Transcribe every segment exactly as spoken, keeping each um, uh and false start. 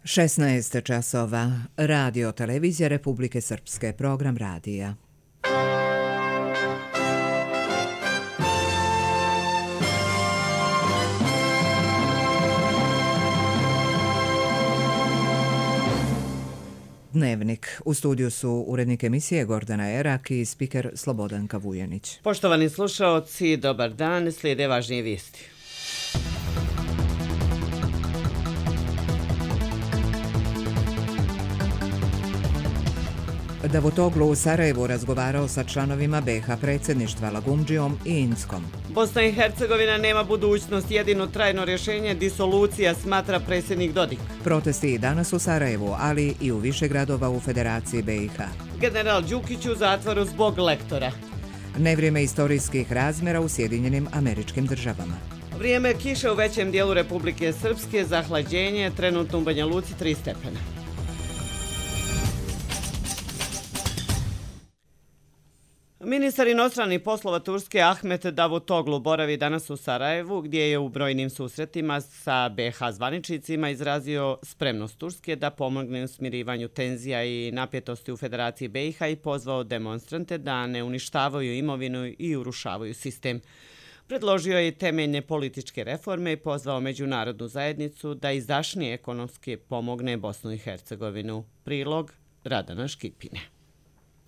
šesnaest časova. Radio televizija Republike Srpske. Program radija. Dnevnik. U studiju su urednik emisije Gordana Erak i spiker Slobodanka Vujanić. Poštovani slušaoci, dobar dan, slijede važnije vijesti. Davutoglu u Sarajevu razgovarao sa članovima be ha predsjedništva Lagumdžijom i Inskom. Bosna i Hercegovina nema budućnost, jedino trajno rješenje disolucija, smatra predsjednik Dodik. Protesti i danas u Sarajevu, ali i u više gradova u Federaciji be i ha. General Đukić u zatvoru zbog lektora. Nevrijeme istorijskih razmjera u Sjedinjenim Američkim Državama. Vrijeme kiše u većem dijelu Republike Srpske, zahlađenje, trenutno u Banja Luci tri stepena. Ministar inostranih poslova Turske Ahmet Davutoglu boravi danas u Sarajevu, gdje je u brojnim susretima sa be ha zvaničnicima izrazio spremnost Turske da pomogne u smirivanju tenzija i napetosti u Federaciji be i ha i pozvao demonstrante da ne uništavaju imovinu i urušavaju sistem. Predložio je temeljne političke reforme i pozvao međunarodnu zajednicu da izdašnije ekonomski pomogne Bosnu i Hercegovinu. Prilog Radana Škipine.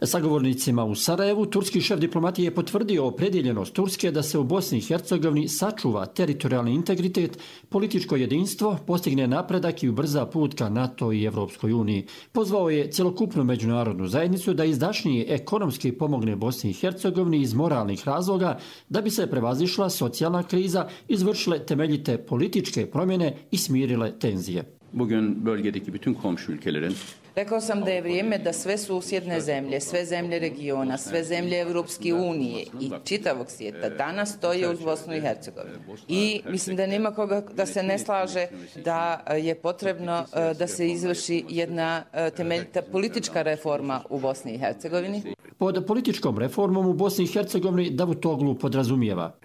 Sagovornicima u Sarajevu turski šef diplomatije je potvrdio opredjeljenost Turske da se u Bosni i Hercegovini sačuva teritorijalni integritet, političko jedinstvo, postigne napredak i ubrza put ka NATO i Evropskoj uniji. Pozvao je cjelokupnu međunarodnu zajednicu da izdašnije ekonomski pomogne Bosni i Hercegovini iz moralnih razloga da bi se prevazišla socijalna kriza, izvršile temeljite političke promjene i smirile tenzije. Bugün bölgedeki bütün komşu ülkelerin Rekao sam da je vrijeme da sve susjedne zemlje, sve zemlje regiona, sve zemlje Evropske unije i čitavog svijeta danas stoje uz Bosnu i Hercegovinu. I mislim da nema koga da se ne slaže da je potrebno da se izvrši jedna temeljita politička reforma u Bosni i Hercegovini. Pod političkom reformom u Bosni i Hercegovini Davutoglu podrazumijeva.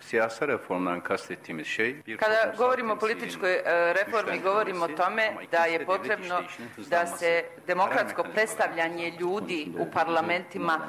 Kada govorimo o političkoj reformi, govorimo o tome da je potrebno da se demokratsko predstavljanje ljudi u parlamentima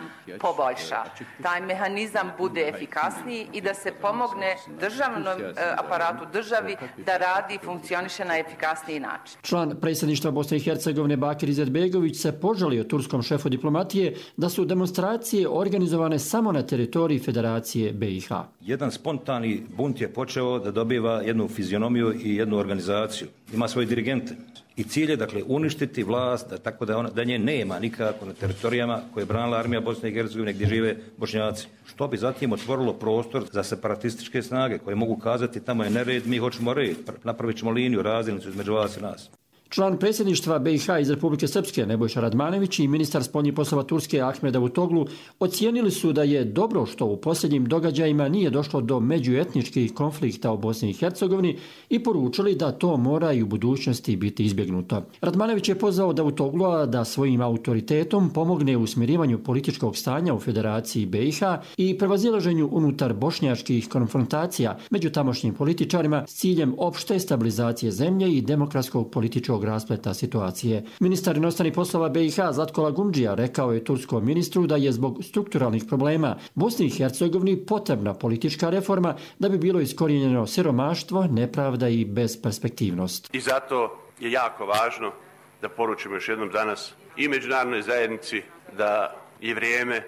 poboljša. Taj mehanizam bude efikasniji i da se pomogne državnom aparatu državi da radi i funkcioniše na efikasniji način. Član predsjedništva Bosne i Hercegovine Bakir Izetbegović se požalio turskom šefu diplomatije da su demonstracije organizovane samo na teritoriji Federacije be i ha. Jedan spontani bunt je počeo da dobiva jednu fizionomiju i jednu organizaciju. Ima svoje dirigente. I cilj je, dakle, uništiti vlast, da, tako da, ona, da nje nema nikako na teritorijama koje je branila armija Bosne i Hercegovine gdje žive Bošnjaci. Što bi zatim otvorilo prostor za separatističke snage koje mogu kazati tamo je nered, mi hoćemo red, napravit ćemo liniju, razdjelnicu između vas i nas. Član predsjedništva be i ha iz Republike Srpske Nebojša Radmanović i ministar spoljnih poslova Turske Ahmed Davutoglu ocijenili su da je dobro što u posljednjim događajima nije došlo do međuetničkih konflikta u Bosni i Hercegovini i poručili da to mora i u budućnosti biti izbjegnuto. Radmanović je pozvao Davutoglua da svojim autoritetom pomogne u smirivanju političkog stanja u Federaciji be i ha i prevazilaženju unutar bošnjačkih konfrontacija među tamošnjim političarima s ciljem opšte stabilizacije zemlje i demokratskog političkog raspleta situacije. Ministar inostranih poslova be i ha Zlatko Lagumdžija rekao je turskom ministru da je zbog strukturalnih problema Bosni i Hercegovini potrebna politička reforma da bi bilo iskorijenjeno siromaštvo, nepravda i besperspektivnost. I zato je jako važno da poručimo još jednom danas i međunarodnoj zajednici da je vrijeme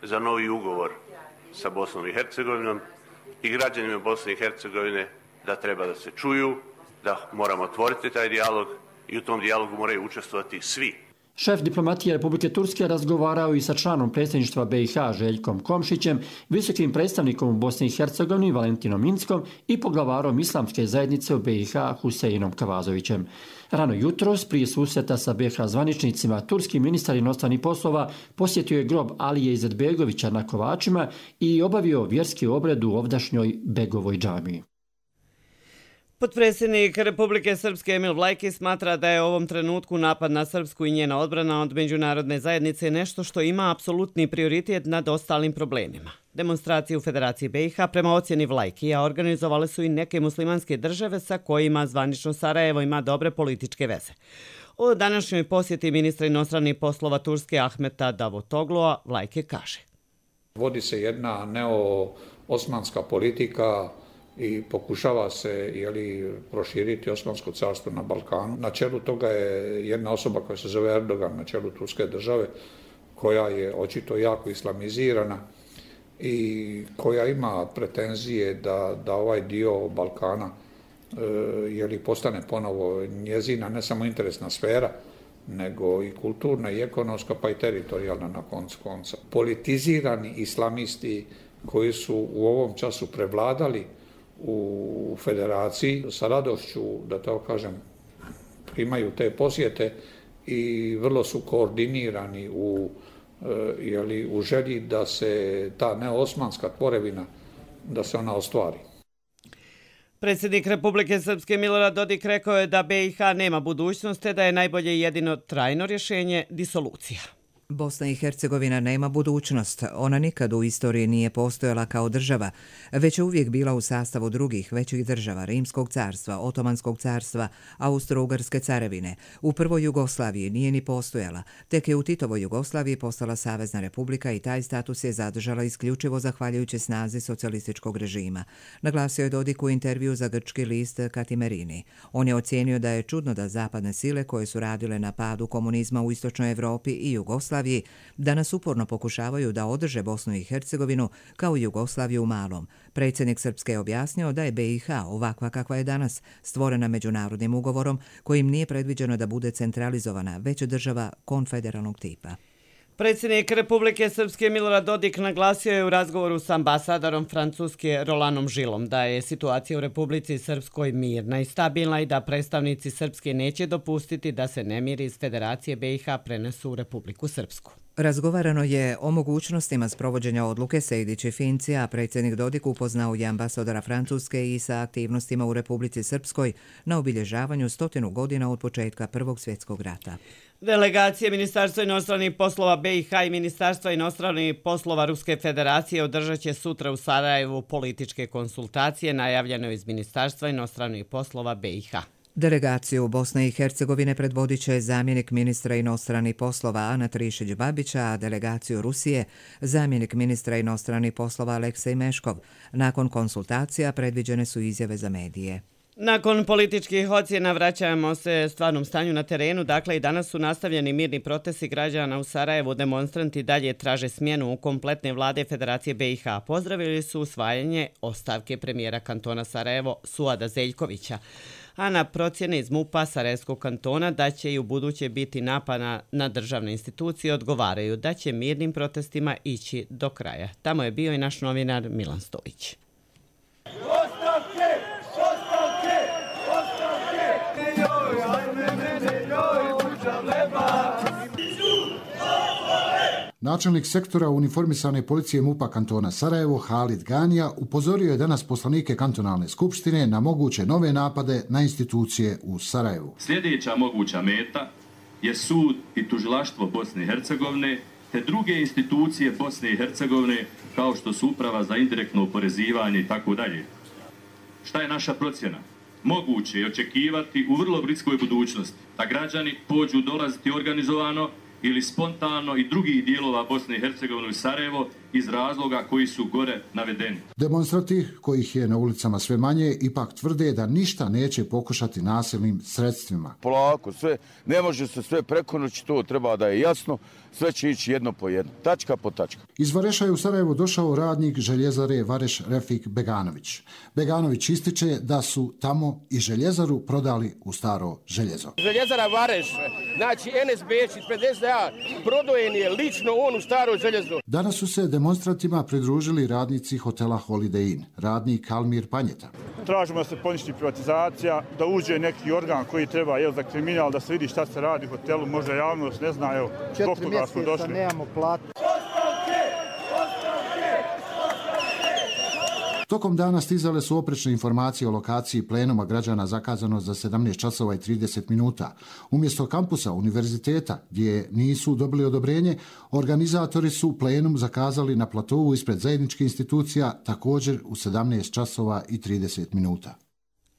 za novi ugovor sa Bosnom i Hercegovinom i građanima Bosne i Hercegovine da treba da se čuju, da moramo otvoriti taj dijalog i u tom dijalogu moraju učestvovati svi. Šef diplomatije Republike Turske razgovarao i sa članom predsjedništva be i ha Željkom Komšićem, visokim predstavnikom u Bosni i Hercegovini Valentinom Inskom i poglavarom islamske zajednice u be i ha Huseinom Kavazovićem. Rano jutros, prije susreta sa be ha zvaničnicima, turski ministar inostranih poslova posjetio je grob Alije Izetbegovića na Kovačima i obavio vjerski obred u ovdašnjoj Begovoj džamiji. Potpredsjednik Republike Srpske Emil Vlajki smatra da je u ovom trenutku napad na Srpsku i njena odbrana od međunarodne zajednice nešto što ima apsolutni prioritet nad ostalim problemima. Demonstracije u Federaciji B i H prema ocjeni Vlajkija organizovale su i neke muslimanske države sa kojima zvanično Sarajevo ima dobre političke veze. O današnjoj posjeti ministra inostranih poslova Turske Ahmeta Davutoglua Vlajki kaže. Vodi se jedna neo-osmanska politika i pokušava se jeli, proširiti Osmansko carstvo na Balkanu. Na čelu toga je jedna osoba koja se zove Erdogan, na čelu Turske države, koja je očito jako islamizirana i koja ima pretenzije da, da ovaj dio Balkana e, jeli, postane ponovo njezina ne samo interesna sfera, nego i kulturna i ekonomska, pa i teritorijalna na koncu konca. Politizirani islamisti koji su u ovom času prevladali u federaciji, sa radošću, da to kažem, primaju te posjete i vrlo su koordinirani u, jeli, u želji da se ta neosmanska tvorevina, da se ona ostvari. Predsjednik Republike Srpske Milorad Dodik rekao je da B i H nema budućnost, te da je najbolje jedino trajno rješenje disolucija. Bosna i Hercegovina nema budućnost. Ona nikad u istoriji nije postojala kao država, već je uvijek bila u sastavu drugih većih država, Rimskog carstva, Otomanskog carstva, Austro-Ugarske carevine. U prvoj Jugoslaviji nije ni postojala, tek je u Titovoj Jugoslaviji postala Savezna republika i taj status je zadržala isključivo zahvaljujući snazi socijalističkog režima. Naglasio je Dodik u intervju za grčki list Katimerini. On je ocijenio da je čudno da zapadne sile koje su radile na padu komunizma u istočnoj Evropi i Jugoslaviji danas uporno pokušavaju da održe Bosnu i Hercegovinu kao Jugoslaviju u malom. Predsjednik Srpske je objasnio da je B i H ovakva kakva je danas, stvorena međunarodnim ugovorom kojim nije predviđeno da bude centralizovana, već država konfederalnog tipa. Predsjednik Republike Srpske Milorad Dodik naglasio je u razgovoru s ambasadorom Francuske Rolanom Žilom da je situacija u Republici Srpskoj mirna i stabilna i da predstavnici Srpske neće dopustiti da se nemiri iz Federacije B i H prenesu u Republiku Srpsku. Razgovarano je o mogućnostima sprovođenja odluke Sejdić i Finci, a predsjednik Dodik upoznao je ambasadora Francuske i sa aktivnostima u Republici Srpskoj na obilježavanju stotinu godina od početka Prvog svjetskog rata. Delegacije Ministarstva inostranih poslova B i H i Ministarstva inostranih poslova Ruske federacije održat će sutra u Sarajevu političke konsultacije najavljene iz Ministarstva inostranih poslova B i H. Delegaciju Bosne i Hercegovine predvodit će zamjenik ministra inostranih poslova Ana Trišić-Babića, a delegaciju Rusije zamjenik ministra inostranih poslova Aleksej Meškov. Nakon konsultacija predviđene su izjave za medije. Nakon političkih ocjena vraćamo se stvarnom stanju na terenu. Dakle, i danas su nastavljeni mirni protesti građana u Sarajevu. Demonstranti dalje traže smjenu u kompletne vlade Federacije B i H. Pozdravili su usvajanje ostavke premijera kantona Sarajevo Suada Zeljkovića. A na procjene iz MUP-a Sarajevskog kantona da će i u buduće biti napada na državne institucije odgovaraju da će mirnim protestima ići do kraja. Tamo je bio i naš novinar Milan Stojić. Načelnik sektora uniformisane policije MUP-a kantona Sarajevo, Halid Ganija, upozorio je danas poslanike kantonalne skupštine na moguće nove napade na institucije u Sarajevu. Sljedeća moguća meta je sud i tužilaštvo Bosne i Hercegovine te druge institucije Bosne i Hercegovine kao što su uprava za indirektno oporezivanje i tako dalje. Šta je naša procjena? Moguće je očekivati u vrlo bliskoj budućnosti da građani pođu dolaziti organizovano ili spontano i drugih dijelova Bosne i Hercegovine u Sarajevo iz razloga koji su gore navedeni. Demonstranti, kojih je na ulicama sve manje, ipak tvrde da ništa neće pokušati nasilnim sredstvima. Polako, sve, ne može se sve preko noći, to treba da je jasno, sve će ići jedno po jedno, tačka po tačka. Iz Vareša je u Sarajevo došao radnik željezare Vareš Refik Beganović. Beganović ističe da su tamo i željezaru prodali u staro željezo. Željezara Vareš, znači N S B iz pedeset A, prodojen je lično on u staro željezo. Danas su se demonstrantima pridružili radnici hotela Holiday Inn, radnik Almir Panjeta. Tražimo da se poništi privatizacija, da uđe neki organ koji treba jel, za kriminal, da se vidi šta se radi u hotelu, možda javnost ne zna, evo, zbog toga smo došli. Četiri mjeseca nemamo platu. Tokom dana stizale su oprečne informacije o lokaciji plenuma građana zakazano za sedamnaest časova i trideset minuta. Umjesto kampusa univerziteta, gdje nisu dobili odobrenje, organizatori su plenum zakazali na platovu ispred zajedničkih institucija, također u sedamnaest časova i trideset minuta.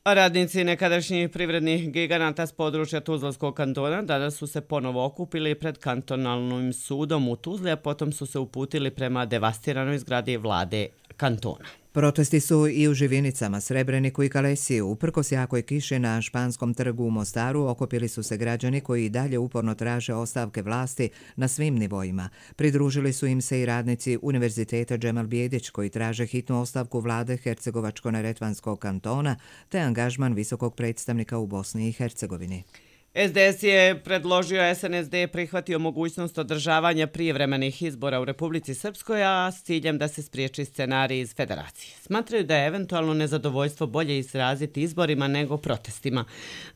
Radnici nekadašnjih privrednih giganata s područja Tuzlanskog kantona danas su se ponovo okupili pred kantonalnim sudom u Tuzli, a potom su se uputili prema devastiranoj zgradi vlade kantona. Protesti su i u Živinicama, Srebreniku i Kalesiju. Uprkos jakoj kiši na Španskom trgu u Mostaru okupili su se građani koji i dalje uporno traže ostavke vlasti na svim nivoima. Pridružili su im se i radnici Univerziteta Džemal Bijedić koji traže hitnu ostavku vlade Hercegovačko-neretvanskog kantona te angažman visokog predstavnika u Bosni i Hercegovini. S D S je predložio, S N S D je prihvatio mogućnost održavanja prijevremenih izbora u Republici Srpskoj, a s ciljem da se spriječi scenarij iz federacije. Smatraju da je eventualno nezadovoljstvo bolje izraziti izborima nego protestima.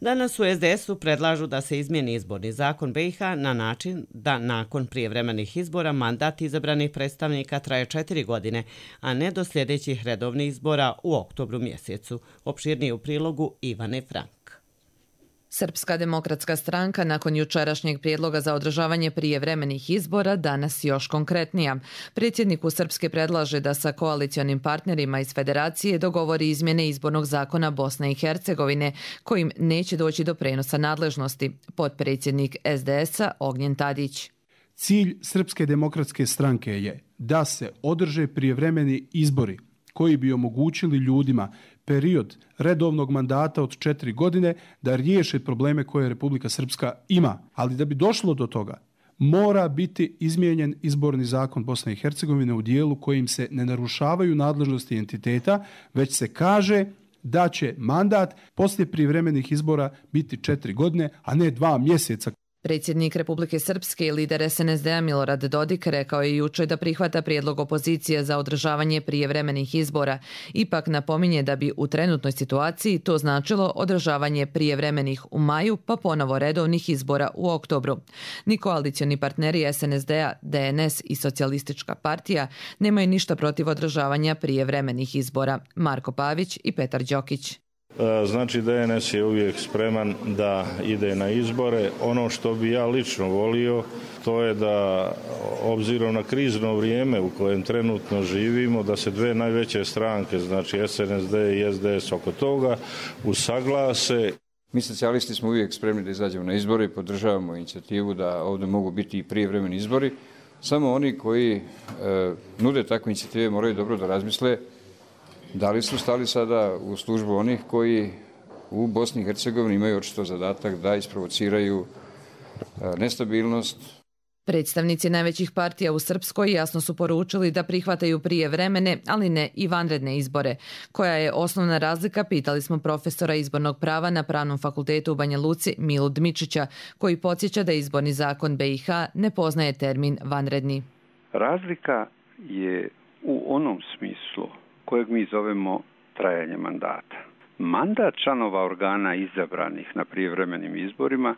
Danas u S D S-u predlažu da se izmijeni izborni zakon B iH na način da nakon prijevremenih izbora mandat izabranih predstavnika traje četiri godine, a ne do sljedećih redovnih izbora u oktobru mjesecu. Opširnije u prilogu Ivane Frank. Srpska demokratska stranka nakon jučerašnjeg prijedloga za održavanje prijevremenih izbora danas još konkretnija. Predsjedniku Srpske predlaže da sa koalicionim partnerima iz federacije dogovori izmjene izbornog zakona Bosne i Hercegovine, kojim neće doći do prenosa nadležnosti. Potpredsjednik S D S-a Ognjen Tadić. Cilj Srpske demokratske stranke je da se održe prijevremeni izbori koji bi omogućili ljudima period redovnog mandata od četiri godine da riješe probleme koje Republika Srpska ima. Ali da bi došlo do toga, mora biti izmijenjen izborni zakon Bosne i Hercegovine u dijelu kojim se ne narušavaju nadležnosti entiteta, već se kaže da će mandat poslije prijevremenih izbora biti četiri godine, a ne dva mjeseca. Predsjednik Republike Srpske i lider S N S D-a Milorad Dodik rekao je jučer da prihvata prijedlog opozicije za održavanje prijevremenih izbora. Ipak napominje da bi u trenutnoj situaciji to značilo održavanje prijevremenih u maju pa ponovo redovnih izbora u oktobru. Ni koalicioni partneri S N S D-a, D N S i Socijalistička partija nemaju ništa protiv održavanja prijevremenih izbora. Marko Pavić i Petar Đokić. Znači D N S je uvijek spreman da ide na izbore. Ono što bi ja lično volio, to je da obzirom na krizno vrijeme u kojem trenutno živimo, da se dve najveće stranke, znači S N S D i S D S oko toga usaglase. Mi socijalisti smo uvijek spremni da izađemo na izbore i podržavamo inicijativu da ovdje mogu biti i prijevremeni izbori. Samo oni koji e, nude takve inicijative moraju dobro da razmisle da li su stali sada u službu onih koji u Bosni i Hercegovini imaju očito zadatak da isprovociraju nestabilnost. Predstavnici najvećih partija u Srpskoj jasno su poručili da prihvataju prijevremene, ali ne i vanredne izbore. Koja je osnovna razlika, pitali smo profesora izbornog prava na Pravnom fakultetu u Banja Luci Milu Dmičića, koji podsjeća da izborni zakon B iH ne poznaje termin vanredni. Razlika je u onom smislu kojeg mi zovemo trajanje mandata. Mandat članova organa izabranih na prijevremenim izborima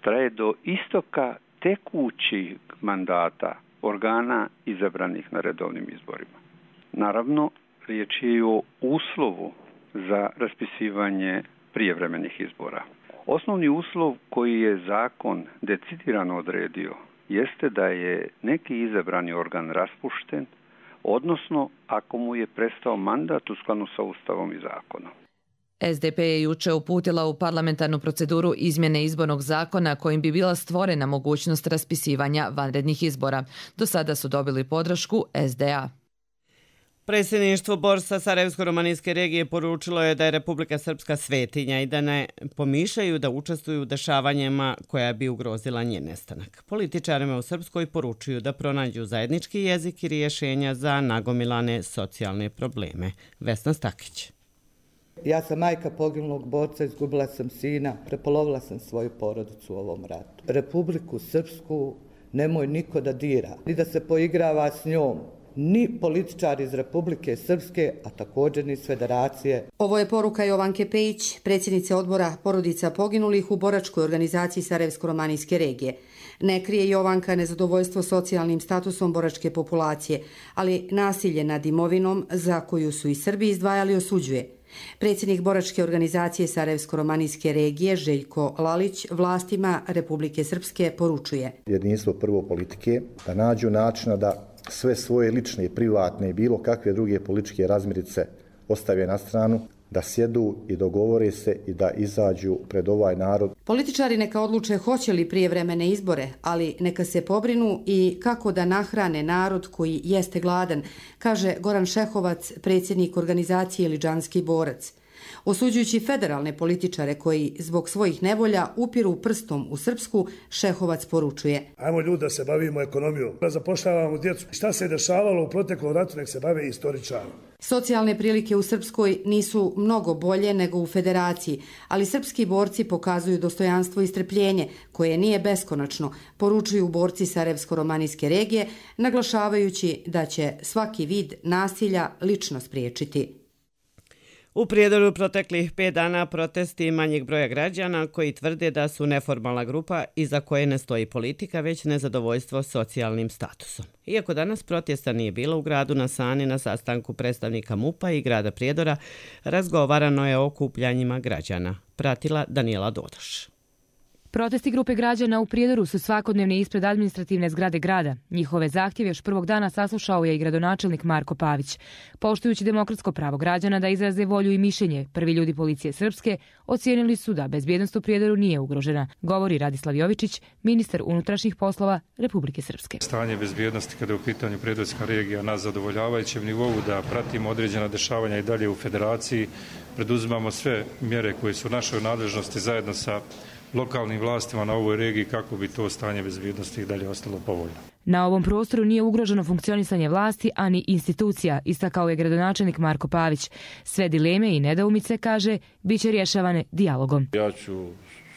traje do istoka tekućih mandata organa izabranih na redovnim izborima. Naravno, riječ je o uslovu za raspisivanje prijevremenih izbora. Osnovni uslov koji je zakon decidirano odredio jeste da je neki izabrani organ raspušten, odnosno ako mu je prestao mandat u skladu sa Ustavom i zakonom. S D P je juče uputila u parlamentarnu proceduru izmjene izbornog zakona kojim bi bila stvorena mogućnost raspisivanja vanrednih izbora. Do sada su dobili podršku S D A. Predsjedništvo Borsa Sarajevsko-romanijske regije poručilo je da je Republika Srpska svetinja i da ne pomišljaju da učestvuju u dešavanjima koja bi ugrozila njen nestanak. Političarima u Srpskoj poručuju da pronađu zajednički jezik i rješenja za nagomilane socijalne probleme. Vesna Stakić. Ja sam majka poginulog borca, izgubila sam sina, prepolovila sam svoju porodicu u ovom ratu. Republiku Srpsku nemoj niko da dira, ni da se poigrava s njom. ni političari iz Republike Srpske, a također ni iz Federacije. Ovo je poruka Jovanke Pejić, predsjednice odbora porodica poginulih u boračkoj organizaciji Sarajevsko-romanijske regije. Ne krije Jovanka nezadovoljstvo socijalnim statusom boračke populacije, ali nasilje nad imovinom za koju su i Srbi izdvajali osuđuje. Predsjednik boračke organizacije Sarajevsko-romanijske regije Željko Lalić vlastima Republike Srpske poručuje. Jedinstvo prvo politike da nađu načina da sve svoje lične, privatne i bilo kakve druge političke razmirice ostave na stranu, da sjedu i dogovore se i da izađu pred ovaj narod. Političari neka odluče hoće li prijevremene izbore, ali neka se pobrinu i kako da nahrane narod koji jeste gladan, kaže Goran Šehovac, predsjednik organizacije Liđanski borac. Osuđujući federalne političare koji zbog svojih nevolja upiru prstom u Srpsku, Šehovac poručuje. Ajmo ljudi da se bavimo ekonomijom, da zapošljavamo djecu. Šta se dešavalo u proteklom ratu, nek se bave istoričari. Socijalne prilike u Srpskoj nisu mnogo bolje nego u Federaciji, ali srpski borci pokazuju dostojanstvo i strpljenje, koje nije beskonačno, poručuju borci Sarajevsko-romanijske regije, naglašavajući da će svaki vid nasilja lično spriječiti. U Prijedoru proteklih pet dana protesti manjeg broja građana koji tvrde da su neformalna grupa iza koje ne stoji politika, već nezadovoljstvo socijalnim statusom. Iako danas protesta nije bilo u gradu na Sani na sastanku predstavnika MUP-a i grada Prijedora, razgovarano je o okupljanjima građana. Pratila Danijela Dodoš. Protesti grupe građana u Prijedoru su svakodnevni ispred administrativne zgrade grada. Njihove zahtjeve još prvog dana saslušao je i gradonačelnik Marko Pavić. Poštujući demokratsko pravo građana da izraze volju i mišljenje, prvi ljudi policije Srpske ocijenili su da bezbjednost u Prijedoru nije ugrožena, govori Radislav Jovičić, ministar unutrašnjih poslova Republike Srpske. Stanje bezbjednosti kada je u pitanju Prijedorska regija na zadovoljavajućem nivou, da pratimo određena dešavanja i dalje u Federaciji, preduzimamo sve mjere koje su u našoj nadležnosti zajedno sa lokalnim vlastima na ovoj regiji kako bi to stanje bezbjednosti i dalje ostalo povoljno. Na ovom prostoru nije ugroženo funkcionisanje vlasti, ani institucija, istakao je gradonačelnik Marko Pavić. Sve dileme i nedoumice, kaže, bit će rješavane dijalogom. Ja ću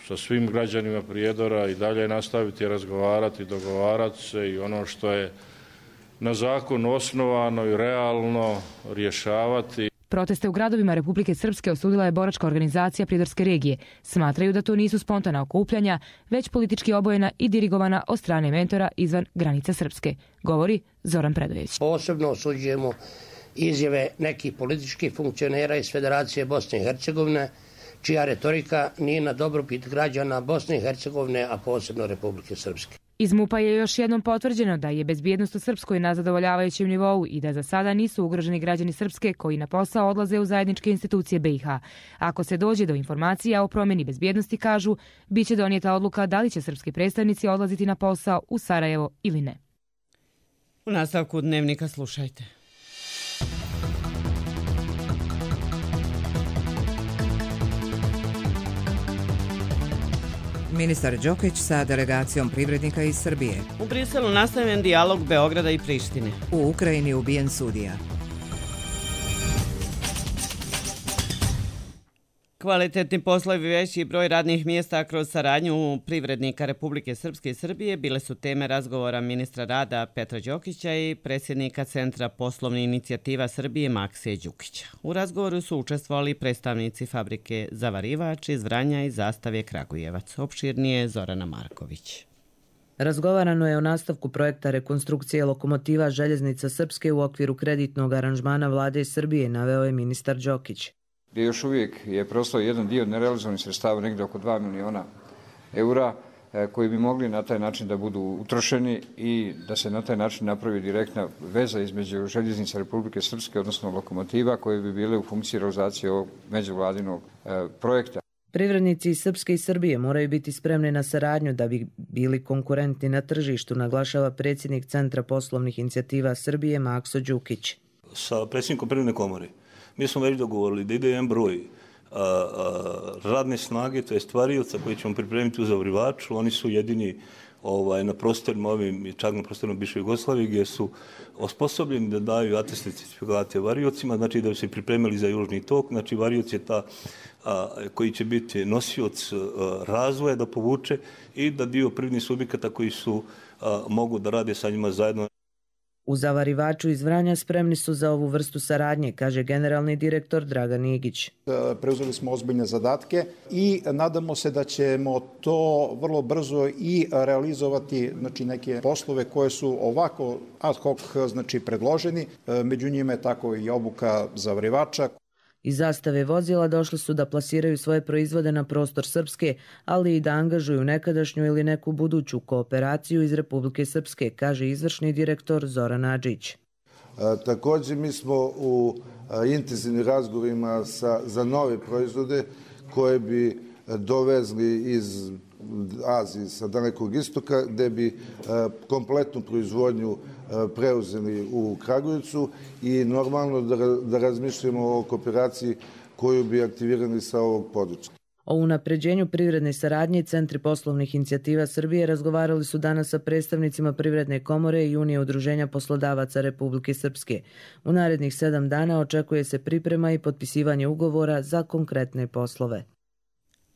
sa svim građanima Prijedora i dalje nastaviti razgovarati, dogovarati se i ono što je na zakon osnovano i realno rješavati. Proteste u gradovima Republike Srpske osudila je boračka organizacija Prijedorske regije. Smatraju da to nisu spontana okupljanja, već politički obojena i dirigovana od strane mentora izvan granica Srpske, govori Zoran Predojević. Posebno osuđujemo izjave nekih političkih funkcionera iz Federacije Bosne i Hercegovine, čija retorika nije na dobrobit građana Bosne i Hercegovine, a posebno Republike Srpske. Iz MUP-a je još jednom potvrđeno da je bezbjednost u Srpskoj na zadovoljavajućem nivou i da za sada nisu ugroženi građani Srpske koji na posao odlaze u zajedničke institucije B i H. Ako se dođe do informacija o promjeni bezbjednosti, kažu, bit će donijeta odluka da li će srpski predstavnici odlaziti na posao u Sarajevo ili ne. U nastavku Dnevnika slušajte. Ministar Đokić sa delegacijom privrednika iz Srbije. U Briselu nastavljen dijalog Beograda i Prištine. U Ukrajini ubijen sudija. Kvalitetni poslovi i veći broj radnih mjesta kroz saradnju privrednika Republike Srpske i Srbije bile su teme razgovora ministra rada Petra Đokića i predsjednika Centra poslovnih inicijativa Srbije Maksije Đukića. U razgovoru su učestvovali predstavnici fabrike Zavarivač iz Vranja i Zastave Kragujevac. Opširnije Zorana Marković. Razgovarano je o nastavku projekta rekonstrukcije lokomotiva željeznica Srpske u okviru kreditnog aranžmana vlade Srbije, naveo je ministar Đokić. Gdje još uvijek je prostao jedan dio nerealizovanih sredstava, negdje oko dva miliona eura, koji bi mogli na taj način da budu utrošeni i da se na taj način napravi direktna veza između željeznica Republike Srpske, odnosno lokomotiva, koje bi bile u funkciji realizacije ovog međuvladinog projekta. Privrednici iz Srpske i Srbije moraju biti spremni na saradnju da bi bili konkurentni na tržištu, naglašava predsjednik Centra poslovnih inicijativa Srbije Makso Đukić. Sa predsjednikom Privredne komore mi smo već dogovorili da ide jedan broj a, a, radne snage, to je stvarioca koji ćemo pripremiti u Zavarivaču. Oni su jedini ovaj, na prostorima ovim, čak na prostorima bivše Jugoslavije, gdje su osposobljeni da daju atestne certifikate variocima, znači da bi se pripremili za južni tok. Znači varioc je ta a, koji će biti nosioc a, razvoja da povuče i da dio privrednih subjekata koji su a, mogu da rade sa njima zajedno. U Zavarivaču iz Vranja spremni su za ovu vrstu saradnje, kaže generalni direktor Dragan Igić. Preuzeli smo ozbiljne zadatke i nadamo se da ćemo to vrlo brzo i realizovati, znači neke poslove koje su ovako ad hoc znači predloženi. Među njima je tako i obuka Zavarivača. Iz zastave vozila došli su da plasiraju svoje proizvode na prostor Srpske, ali i da angažuju nekadašnju ili neku buduću kooperaciju iz Republike Srpske, kaže izvršni direktor Zoran Adžić. E, također mi smo u a, intenzivnim razgovorima sa, za nove proizvode koje bi dovezli iz Azije, sa Dalekog istoka, gde bi a, kompletnu proizvodnju preuzeli u Kragujevcu i normalno da, da razmišljamo o kooperaciji koju bi aktivirali sa ovog područja. O unapređenju privredne saradnje Centri poslovnih inicijativa Srbije razgovarali su danas sa predstavnicima Privredne komore i Unije udruženja poslodavaca Republike Srpske. U narednih sedam dana očekuje se priprema i potpisivanje ugovora za konkretne poslove.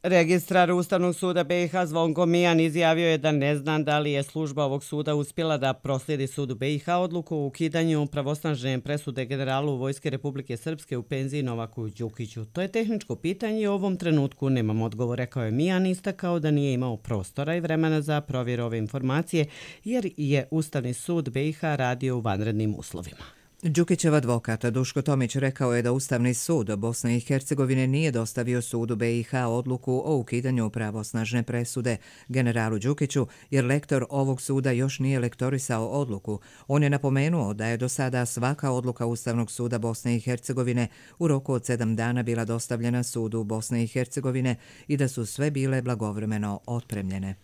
Registrar Ustavnog suda B i H Zvonko Mijan izjavio je da ne zna da li je služba ovog suda uspjela da proslijedi sudu B i H odluku o ukidanju pravosnažne presude generalu Vojske Republike Srpske u penziji Novaku Đukiću. To je tehničko pitanje i u ovom trenutku nemam odgovor, rekao je Mijan, istakao da nije imao prostora i vremena za provjeru ove informacije jer je Ustavni sud B i H radio u vanrednim uslovima. Đukićev advokat Duško Tomić rekao je da Ustavni sud Bosne i Hercegovine nije dostavio sudu B i H odluku o ukidanju pravosnažne presude generalu Đukiću, jer lektor ovog suda još nije lektorisao odluku. On je napomenuo da je do sada svaka odluka Ustavnog suda Bosne i Hercegovine u roku od sedam dana bila dostavljena sudu Bosne i Hercegovine i da su sve bile blagovremeno otpremljene.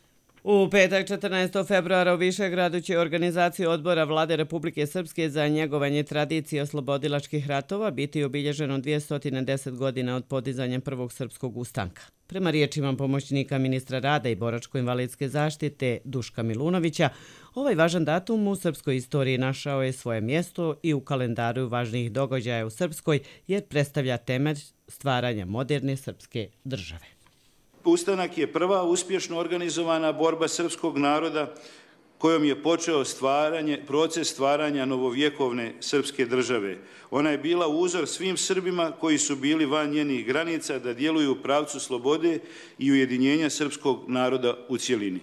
U petak četrnaestog februara u Višegradu će organizacija odbora Vlade Republike Srpske za njegovanje tradicije oslobodilačkih ratova biti obilježeno dvjesto deset godina od podizanja prvog srpskog ustanka. Prema riječima pomoćnika ministra rada i boračko-invalidske zaštite Duška Milunovića, ovaj važan datum u srpskoj istoriji našao je svoje mjesto i u kalendaru važnijih događaja u Srpskoj jer predstavlja temelj stvaranja moderne srpske države. Ustanak je prva uspješno organizovana borba srpskog naroda kojom je počeo stvaranje, proces stvaranja novovjekovne srpske države. Ona je bila uzor svim Srbima koji su bili van njenih granica da djeluju u pravcu slobode i ujedinjenja srpskog naroda u cjelini.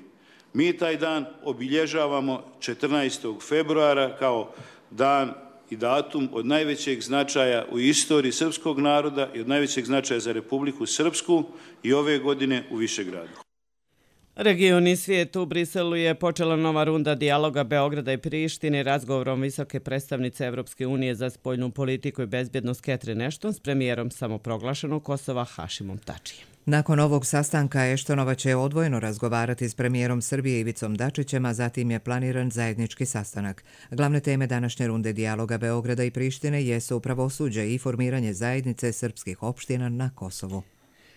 Mi taj dan obilježavamo četrnaestog februara kao dan i datum od najvećeg značaja u istoriji srpskog naroda i od najvećeg značaja za Republiku Srpsku i ove godine u Višegradu. Region i svijet u Briselu je počela nova runda dijaloga Beograda i Prištine razgovorom visoke predstavnice Evropske unije za spoljnu politiku i bezbjednost Catherine Ashton s premijerom samoproglašenog Kosova Hašimom Tačijem. Nakon ovog sastanka Eštonova će odvojeno razgovarati s premijerom Srbije Ivicom Dačićem, a zatim je planiran zajednički sastanak. Glavne teme današnje runde dijaloga Beograda i Prištine jesu pravosuđe i formiranje zajednice srpskih opština na Kosovu.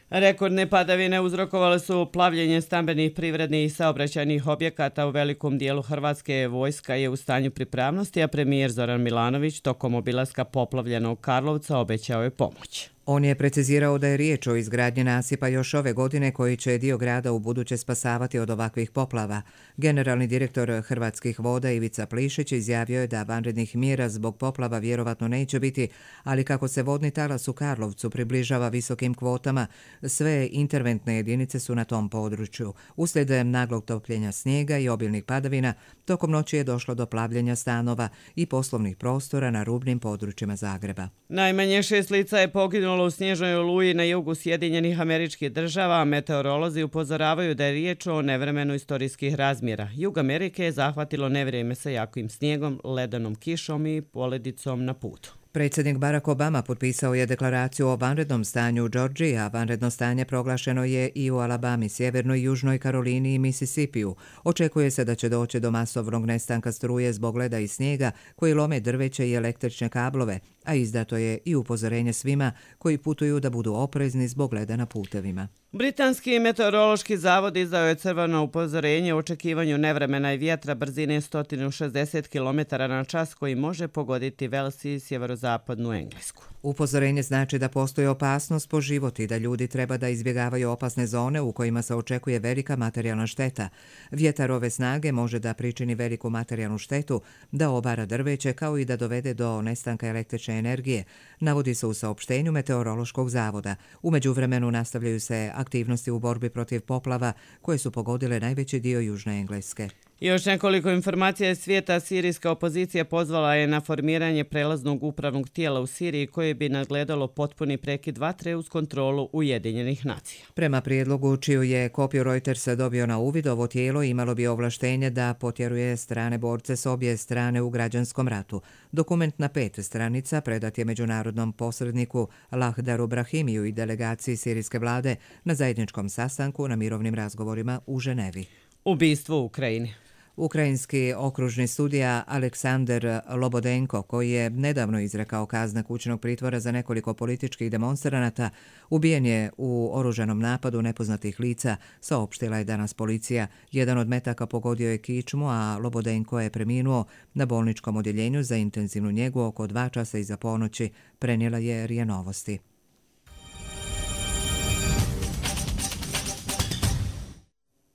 Rekordne padavine uzrokovale su plavljenje stambenih, privrednih i saobraćajnih objekata u velikom dijelu Hrvatske. Vojska je u stanju pripravnosti, a premijer Zoran Milanović tokom obilaska poplavljenog Karlovca obećao je pomoć. On je precizirao da je riječ o izgradnji nasipa još ove godine koji će dio grada u buduće spasavati od ovakvih poplava. Generalni direktor Hrvatskih voda Ivica Plišić izjavio je da vanrednih mjera zbog poplava vjerovatno neće biti, ali kako se vodni talas u Karlovcu približava visokim kvotama, sve interventne jedinice su na tom području. Uslijed naglog topljenja snijega i obilnih padavina, tokom noći je došlo do plavljenja stanova i poslovnih prostora na rubnim područjima Zagreba. Najmanje šest lica je poginulo u snježnoj oluji na jugu Sjedinjenih Američkih Država, a meteorolozi upozoravaju da je riječ o nevremenu istorijskih razmjera. Jug Amerike je zahvatilo nevrijeme sa jakim snijegom, ledenom kišom i poledicom na putu. Predsjednik Barack Obama potpisao je deklaraciju o vanrednom stanju u Georgiji, a vanredno stanje proglašeno je i u Alabami, Sjevernoj i Južnoj Karolini i Misisipiju. Očekuje se da će doći do masovnog nestanka struje zbog leda i snijega koji lome drveće i električne kablove, a izdato je i upozorenje svima koji putuju da budu oprezni zbog leda na putevima. Britanski meteorološki zavod izdao je crveno upozorenje o očekivanju nevremena i vjetra brzine sto šezdeset kilometara na čas koji može pogoditi Vels i sjeverozapadnu Englesku. Upozorenje znači da postoji opasnost po život i da ljudi treba da izbjegavaju opasne zone u kojima se očekuje velika materijalna šteta. Vjetar ove snage može da pričini veliku materijalnu štetu, da obara drveće kao i da dovede do nestanka električne energije, navodi se u saopštenju Meteorološkog zavoda. U međuvremenu nastavljaju se aktivnosti u borbi protiv poplava koje su pogodile najveći dio južne Engleske. Još nekoliko informacija iz svijeta. Sirijska opozicija pozvala je na formiranje prelaznog upravnog tijela u Siriji koje bi nadgledalo potpuni prekid vatre uz kontrolu Ujedinjenih nacija. Prema prijedlogu čiju je kopiju Reutersa dobio na uvid, ovo tijelo imalo bi ovlaštenje da potjeruje strane borce s obje strane u građanskom ratu. Dokument na pet stranica predat je međunarodnom posredniku Lahdaru Brahimiju i delegaciji sirijske vlade na zajedničkom sastanku na mirovnim razgovorima u Ženevi. Ubistvo u Ukrajini. Ukrajinski okružni sudija Aleksandar Lobodenko, koji je nedavno izrekao kazna kućnog pritvora za nekoliko političkih demonstranata, ubijen je u oružanom napadu nepoznatih lica, saopštila je danas policija. Jedan od metaka pogodio je kičmu, a Lobodenko je preminuo na bolničkom odjeljenju za intenzivnu njegu oko dva časa iza ponoći, prenijela je R I A Novosti.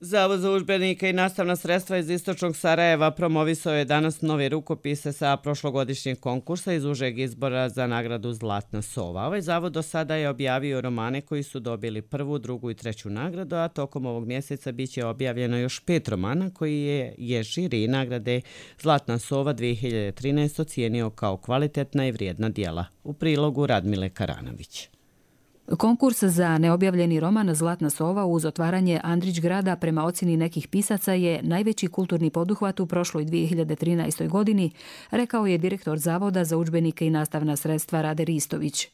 Zavod za udžbenike i nastavna sredstva iz istočnog Sarajeva promovisao je danas nove rukopise sa prošlogodišnjeg konkursa iz užeg izbora za nagradu Zlatna sova. Ovaj zavod do sada je objavio romane koji su dobili prvu, drugu i treću nagradu, a tokom ovog mjeseca bit će objavljeno još pet romana koji je, je žiri nagrade Zlatna sova dvije hiljade trinaeste ocijenio kao kvalitetna i vrijedna djela. U prilogu Radmile Karanović. Konkurs za neobjavljeni roman Zlatna sova uz otvaranje Andrić grada prema ocjeni nekih pisaca je najveći kulturni poduhvat u prošloj dvije hiljade trinaestoj godini, rekao je direktor Zavoda za udžbenike i nastavna sredstva Rade Ristović.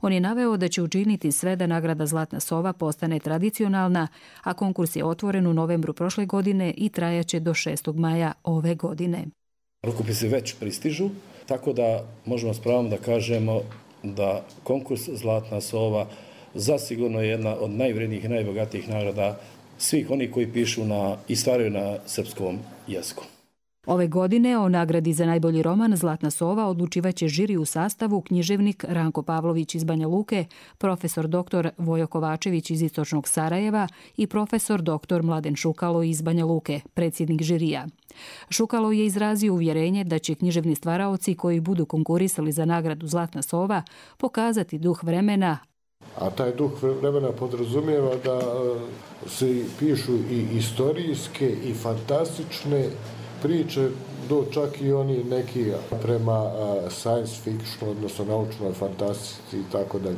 On je naveo da će učiniti sve da nagrada Zlatna sova postane tradicionalna, a konkurs je otvoren u novembru prošle godine i trajaće do šestog maja ove godine. Rukopisi već pristižu, tako da možemo s pravom da kažemo da konkurs Zlatna sova zasigurno je jedna od najvrednijih i najbogatijih nagrada svih onih koji pišu na, i stvaraju na srpskom jeziku. Ove godine o nagradi za najbolji roman Zlatna sova odlučivaće žiri u sastavu književnik Ranko Pavlović iz Banja Luke, profesor doktor Vojo Kovačević iz istočnog Sarajeva i profesor doktor Mladen Šukalo iz Banja Luke, predsjednik žirija. Šukalo je izrazio uvjerenje da će književni stvaraoci koji budu konkurisali za nagradu Zlatna sova pokazati duh vremena, a taj duh vremena podrazumijeva da se pišu i istorijske i fantastične priče, do čak i oni neki prema science fiction, odnosno naučnoj fantastici i tako dalje.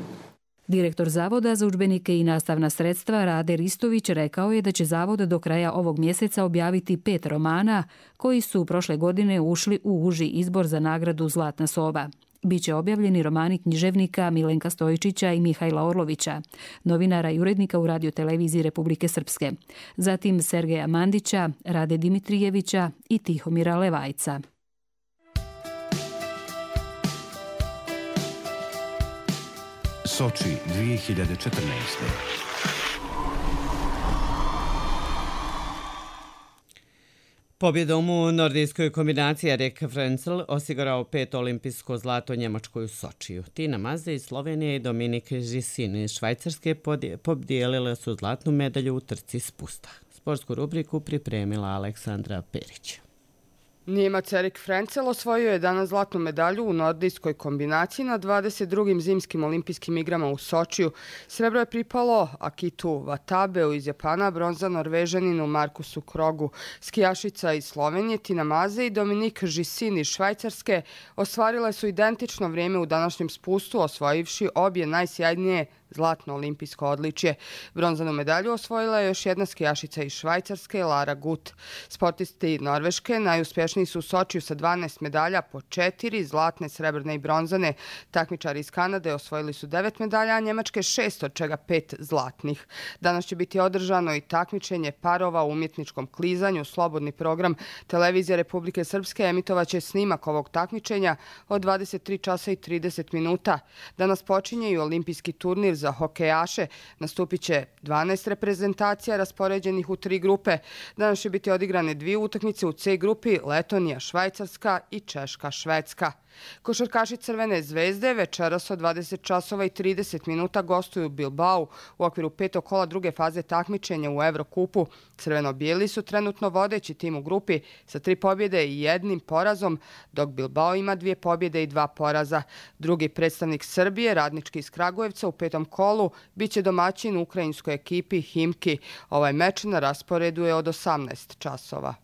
Direktor Zavoda za udžbenike i nastavna sredstva Rade Ristović rekao je da će Zavod do kraja ovog mjeseca objaviti pet romana koji su prošle godine ušli u uži izbor za nagradu Zlatna sova. Biće objavljeni romani književnika Milenka Stojičića i Mihajla Orlovića, novinara i urednika u radioteleviziji Republike Srpske, zatim Sergeja Mandića, Rade Dimitrijevića i Tihomira Levajca. Soči dvije hiljade četrnaeste. Pobjedom u nordijskoj kombinaciji Erik Frenzel osigurao pet olimpijsko zlato Njemačkoj u Sočiju. Tina Maze iz Slovenije i Dominik Žisin iz Švajcarske podijelile su zlatnu medalju u trci spusta. Sportsku rubriku pripremila Aleksandra Perić. Njemac Erik Frenzel osvojio je danas zlatnu medalju u nordijskoj kombinaciji na dvadeset drugim zimskim olimpijskim igrama u Sočiju. Srebro je pripalo Akitu Vatabeu iz Japana, bronza Norvežaninu Markusu Krogu. Skijašica iz Slovenije Tina Maze i Dominik Žisin iz Švajcarske ostvarile su identično vrijeme u današnjem spustu, osvojivši obje najsjajnije zlatno olimpijsko odličje. Bronzanu medalju osvojila je još jedna skijašica iz Švajcarske, Lara Gut. Sportisti Norveške najuspješniji su u Sočiju sa dvanaest medalja, po četiri zlatne, srebrne i bronzane. Takmičari iz Kanade osvojili su devet medalja, a Njemačke šest, od čega pet zlatnih. Danas će biti održano i takmičenje parova u umjetničkom klizanju. Slobodni program Televizije Republike Srpske emitovaće snimak ovog takmičenja od dvadeset tri časa i trideset minuta. Danas počinje i olimpijski turnir za hokejaše. Nastupit će dvanaest reprezentacija raspoređenih u tri grupe. Danas će biti odigrane dvije utakmice u C grupi, Letonija, Švajcarska i Češka, Švedska. Košarkaši Crvene zvezde večeras od dvadeset časova i trideset minuta gostuju u Bilbao u okviru petog kola druge faze takmičenja u Evrokupu. Crveno-bijeli su trenutno vodeći tim u grupi sa tri pobjede i jednim porazom, dok Bilbao ima dvije pobjede i dva poraza. Drugi predstavnik Srbije, Radnički iz Kragujevca, u petom kolu biće domaćin ukrajinskoj ekipi Himki. Ovaj meč na rasporedu je od osamnaest časova.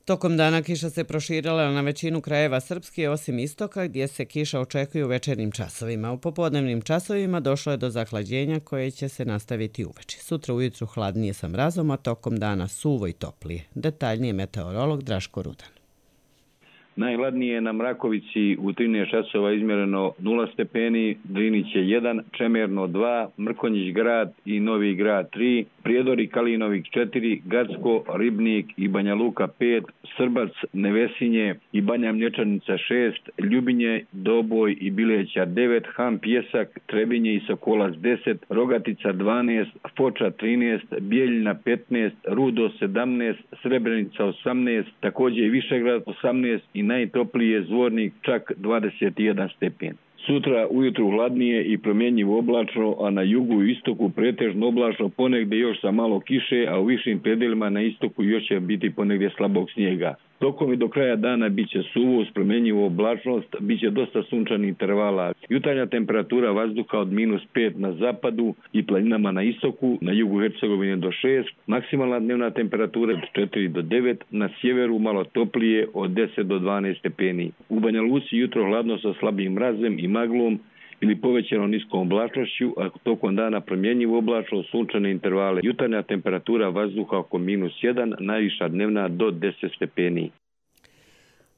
Tokom dana kiša se proširila na većinu krajeva Srpske, osim istoka, gdje se kiša očekuje u večernjim časovima. U popodnevnim časovima došlo je do zahlađenja koje će se nastaviti uveče. Sutra ujutru hladnije sa mrazom, a tokom dana suvo i toplije. Detaljnije meteorolog Draško Rudan. Najhladnije je na Mrakovici, u trinaest časova izmjereno nula stepeni, Drinić je jedan, Čemerno dva, Mrkonjić grad i Novi grad tri, Prijedor i Kalinovik četiri, Gacko, Ribnik i Banja Luka pet, Srbac, Nevesinje i Banja Mlječanica šest, Ljubinje, Doboj i Bileća devet, Han Pjesak, Trebinje i Sokolac deset, Rogatica dvanaest, Foča trinaest, Bijeljina petnaest, Rudo sedamnaest, Srebrenica osamnaest, također i Višegrad osamnaest i najtopliji je Zvornik, čak dvadeset jedan stepen. Sutra ujutru hladnije i promjenjivo oblačno, a na jugu i istoku pretežno oblačno, ponegdje još sa malo kiše, a u višim predelima na istoku još će biti ponegdje slabog snijega. Tokom i do kraja dana bit će suvo uz promjenjivu oblačnost, bit će dosta sunčanih intervala. Jutarnja temperatura vazduha od minus pet na zapadu i planinama na istoku, na jugu Hercegovine do šest, maksimalna dnevna temperatura od četiri do devet, na sjeveru malo toplije od deset do dvanaest stepeni. U Banja Luci jutro hladno sa slabim mrazem i maglom ili povećanom niskom oblačnošću, a tokom dana promjenjivo oblačno, sunčane intervale. Jutarnja temperatura vazduha oko minus jedan, najviša dnevna do deset stepeni.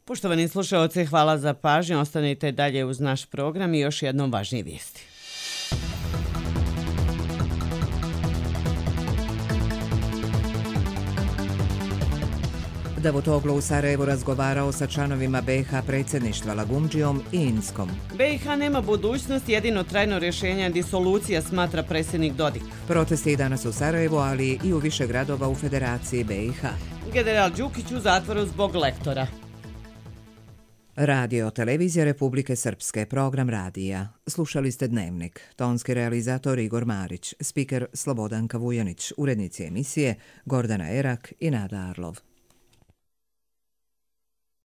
Poštovani slušalci, hvala za pažnju. Ostanite dalje uz naš program i još jednom važnije vijesti. Davutoglu u Sarajevu razgovarao sa članovima B i H predsjedništva Lagumdžijom i Inskom. B i H nema budućnost, jedino trajno rješenje je disolucija, smatra predsjednik Dodik. Protesti i danas u Sarajevu, ali i u više gradova u Federaciji B i H. General Đukić u zatvoru zbog lektora. Radio Televizija Republike Srpske, program radija. Slušali ste Dnevnik. Tonski realizator Igor Marić, spiker Slobodanka Vujanić, urednici emisije Gordana Erak i Nada Arlov.